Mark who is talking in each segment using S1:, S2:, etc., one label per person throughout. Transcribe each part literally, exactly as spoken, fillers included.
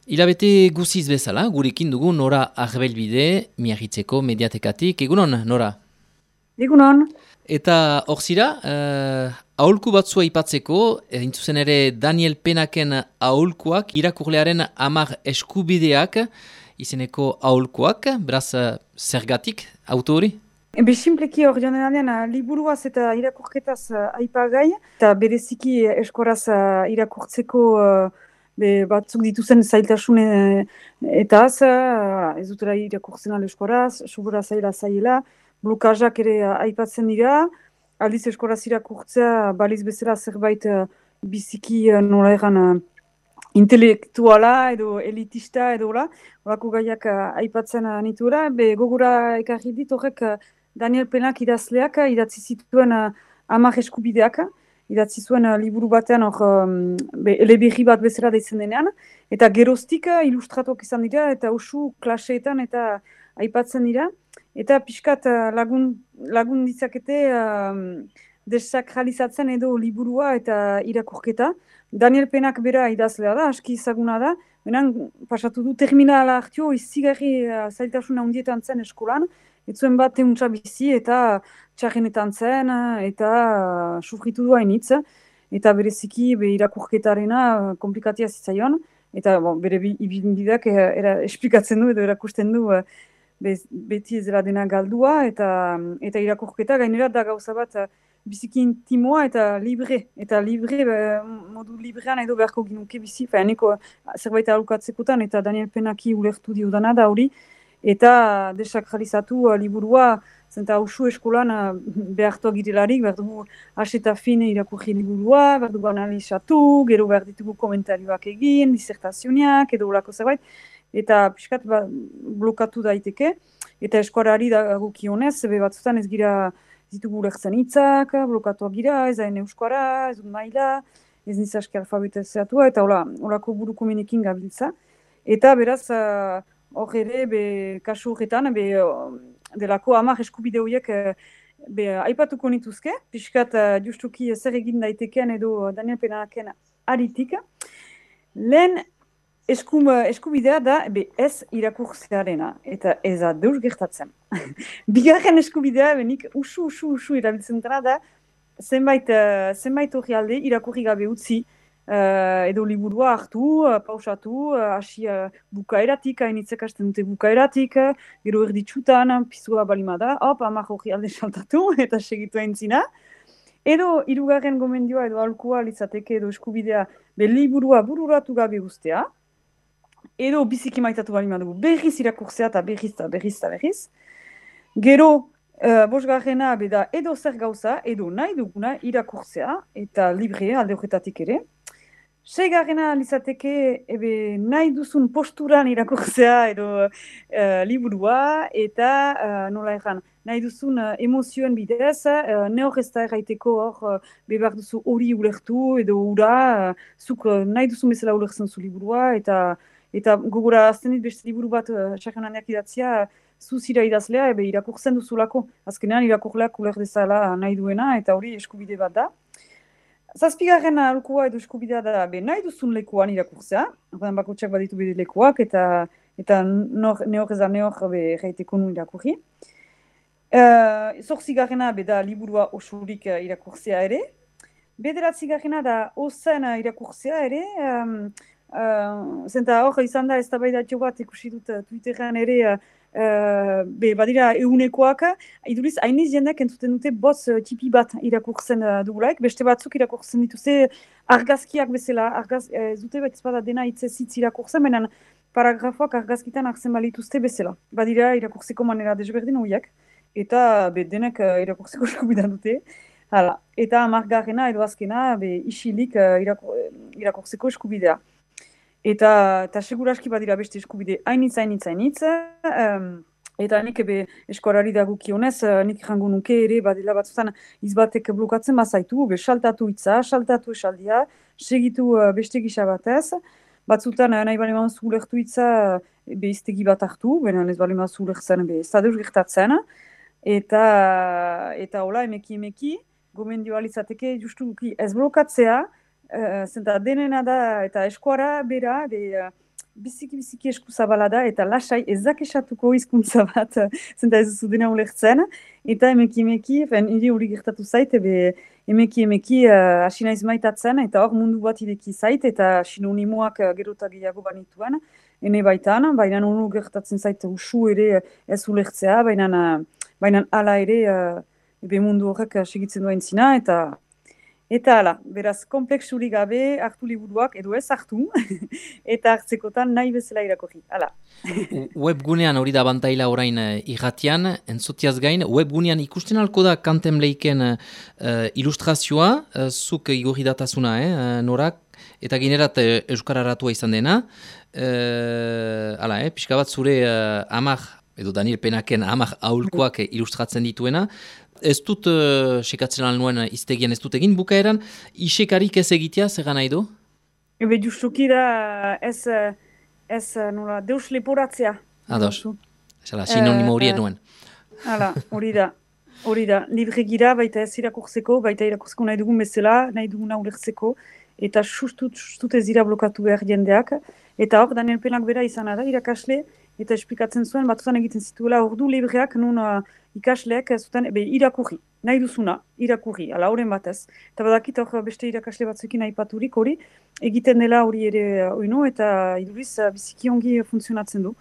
S1: Hilabete guziz bezala, gurekin dugu Nora Arbelbide, Miarritzeko mediatekatik. Egunon, Nora?
S2: Egunon.
S1: Eta hor zira, uh, aholku batzua aipatzeko, entzuzen ere Daniel Penaken aholkuak, irakurlearen hamar eskubideak, izeneko aholkuak, beraz zergatik, autori?
S2: Ebe simpleki hor generalean liburuaz eta irakurketaz uh, aipagai, eta bereziki eskoraz uh, irakurtzeko uh, be, batzuk dituzen zailtasune eta az, uh, ez dutera irakurtzen ala eskoraz, subura zaila zaila, blokazak ere uh, aipatzen dira, aldiz eskoraz irakurtzea baliz bezala zerbait uh, biziki uh, nola egan uh, intelektuala edo elitista edo la, horako gaiak uh, aipatzen uh, nitura, be gogura ekarri dit horrek uh, Daniel Penak idazleak idatzi zituen uh, hamar eskubideak, idatzi zuen uh, liburu batean hor um, eleberri bat bezala deitzen denean, eta geroztik uh, ilustratuak izan dira, eta usu klaseetan eta aipatzen dira, eta pixkat uh, lagun, lagun ditzakete uh, desakralizatzen edo liburua eta irakurketa. Daniel Penak bera idazlea da, aski ezaguna da, benen pasatu du terminala hartio, izigarri uh, zailtasuna hundietan zen eskolan, ez zuen bat euntza bizi eta txarrenetan zen eta uh, sufritu du hainitz, eta bereziki be irakurketarena uh, komplikatia zitzaion, eta bon, bere ibilbideak uh, era esplikatzen du edo erakusten du uh, be, beti ez dela dena galdua, eta, eta irakurketa gainera da gauza bat uh, biziki intimoa eta libre, eta libre, uh, modu librean edo beharko ginuke bizi, fa eneko uh, zerbait aholkatzekotan, eta Daniel Penaki ulertu diodana da hori, eta desakralizatu uh, liburua, zenta usu eskolan uh, behartu agirelarik, behar dugu aseta fin irakurri liburua, behar dugu analizatu, gero behar ditugu komentarioak egin, disertazioniak, edo olako zerbait, eta pixkat ba, blokatu daiteke, eta eskuarari dagokionez, be batzutan ez gira ditugu lertzen hitzak, blokatuak gira, ez hain euskara, ez dut maila, ez nizaski alfabetizatua, eta hola, holako buruko menekin gabiltza, eta beraz, uh, hor ere, be, kasu horretan, be, delako hamar eskubide horiek be, aipatuko nituzke, pixkat uh, justuki zer egin daiteken edo Daniel Penaken aritik. Lehen eskum, eskubidea da be, ez irakurtzearena, eta ez da deus gertatzen. Bigarren eskubidea, benik usu, usu, usu erabiltzen dara da, zenbait, uh, zenbait hori alde irakurri gabe utzi, Uh, edo liburua hartu, uh, pausatu, hasi uh, uh, bukaeratik, hainitzek hasten dute bukaeratik, uh, gero erditsutan, pizua balimada, hop, amak hori alde saltatu, eta segitu aintzina. Edo, hirugarren gomendioa edo alkoa litzateke edo eskubidea, be liburua bururatu gabe guztea, edo biziki maitatu balimadu, berriz irakurtzea eta berriz eta berriz eta berriz. Gero, uh, bosgarrena beda edo zer gauza, edo nahi duguna irakurtzea, eta libre alde horretatik ere. Seigarrena lizateke ebe nahi duzun posturan irakurtzea edo uh, liburua eta uh, nola erran, nahi duzun uh, emozioen bidez, uh, ne hor ez da erraiteko hor uh, bebar duzu hori ulertu edo ura, uh, zuk uh, nahi duzun bezala ulertzen zu liburua eta eta gogora azten dit beste liburu bat uh, txarrenaneak idatzia, zuzira idazlea ebe irakurtzen duzulako. Azkenean irakurleak uler dezala nahi duena eta hori eskubide bat da. Zazpigarren aholkua edo eskubidea da be nahi duzun lekuan irakurtzea, horren bakotxak baditu bide lekuak, eta eta nor, ne hor ezan ne hor be reiteko nu irakurri. Uh, Zortzigarrena be da liburua osurik uh, irakurtzea ere. Bederatzigarrena da ozen uh, irakurtzea ere, um, uh, zenta hor izan da ez da baidatio bat ikusi dut uh, Twitteran ere, uh, Uh, be, badira eunekoak, iduriz hainiz jendeak entzuten dute boz uh, tipi bat irakurtzen uh, dugulaik, beste batzuk irakurtzen dituzte argazkiak bezala, argaz, uh, zute bat ezpada dena hitzez hitz irakurtzen, benen paragrafoak argazkitan hartzen balituzte bezala. Badira irakurtzeko manera desberdin horiek, eta be, denek uh, irakurtzeko eskubida dute. Hala. Eta amargarrena edo azkena be, isilik uh, irakur, irakurtzeko eskubidea. Eta, eta seguraski badira beste eskubide hainitz, hainitz, hainitz. Um, eta nik ebe eskuarari dagokionez, uh, nik jango nuke ere badila batzutan izbatek blokatzen bazaitu, be saltatu hitza, saltatu esaldia, segitu uh, beste gisa batez. Batzutan uh, nahi bali mazu ulertu hitza, uh, be iztegi bat hartu, benen ez bali mazu ulertzen, be ez da deus gertatzen. Eta, eta hola, emeki, emeki, gomendioa litzateke justu ez blokatzea, Uh, zenta denena da eta eskuara bera, de, uh, biziki-biziki esku zabala da, eta lasai ezak esatuko hizkuntza bat, zenta ez duzu dena ulertzen, eta emeki-emeki, niri hori gertatu zait, ebe emeki-emeki hasi uh, naiz maitatzen, eta hor mundu bat ideki zait, eta sinonimoak uh, gero eta gehiago banituen, ene baitan, baina honu gertatzen zait usu ere ez ulertzea, baina uh, baina hala ere, uh, ebe mundu horrek uh, segitzen duen zina, eta Eta hala, beraz, kompleksurik gabe hartu liburuak, edo ez hartu, eta hartzekotan nahi bezala irakurri. Hala.
S1: Webgunean hori da bantaila orain uh, irratian, entzutiaz gain, webgunean ikusten alko da Kantem Leiken uh, ilustrazioa, uh, zuk igorri datasuna, eh, uh, norak, eta ginerat uh, euskararatua izan dena. Uh, hala, eh, pixka bat zure uh, amak, edo Daniel Penaken amak aholkoak ilustratzen dituena. Ez dut uh, sekatzen alnuen iztegian ez dut egin bukaeran, isekarik ez egitea, zer gana edo?
S2: Ebe justuki da ez, ez nola, deus leporatzea.
S1: Ados, esala, sinonimo hori uh, nuen.
S2: Hala, hori da, hori da. Libregira baita ez irakurtzeko, baita irakurtzeko nahi dugun bezala, nahi duguna ulertzeko, eta sustut, sustut ez dira blokatu behar jendeak. Eta hor, Daniel Penak bera izan da, irakasle, eta esplikatzen zuen, batzutan egiten zituela, ordu libreak nun uh, ikasleak zuten, ebe, irakurri, nahi duzuna, irakurri, ala horren batez. Eta badakit hor beste irakasle batzuekin aipaturik hori, egiten dela hori ere oino, eta iduriz uh, biziki ongi funtzionatzen du.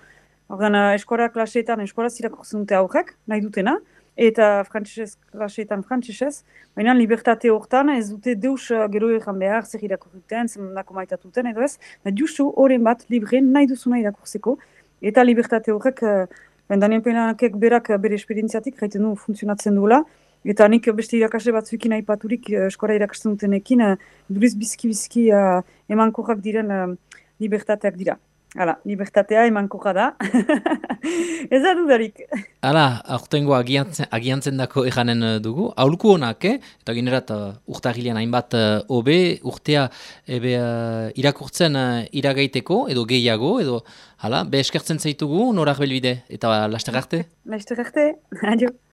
S2: Horren uh, eskora klaseetan, eskoraz irakurtzen dute aurrek, nahi dutena, eta frantzesez klaseetan frantzesez, baina libertate hortan ez dute deus uh, gero egan behar, zer irakurruten, zer nako maitatuten, edo ez, da justu horren bat libre nahi duzuna irakurtzeko, eta libertate horrek, ben Daniel Penakek berak bere esperientziatik, gaiten du funtzionatzen duela, eta nik beste irakasle batzuekin aipaturik eskora irakasten dutenekin, duriz bizki-bizki uh, emankorrak diren uh, libertateak dira. Hala, libertatea emankorra da. Ez da dudarik.
S1: Hala, aurtengo agiantzen, agiantzen dako eganen dugu. Aholku honak, eh? Eta ginerat uh, urtagilean hainbat hobe, uh, urtea ebe, uh, irakurtzen uh, iragaiteko, edo gehiago, edo hala, be eskertzen zaitugu, norak belbide, eta laster arte?
S2: Laster arte, adio.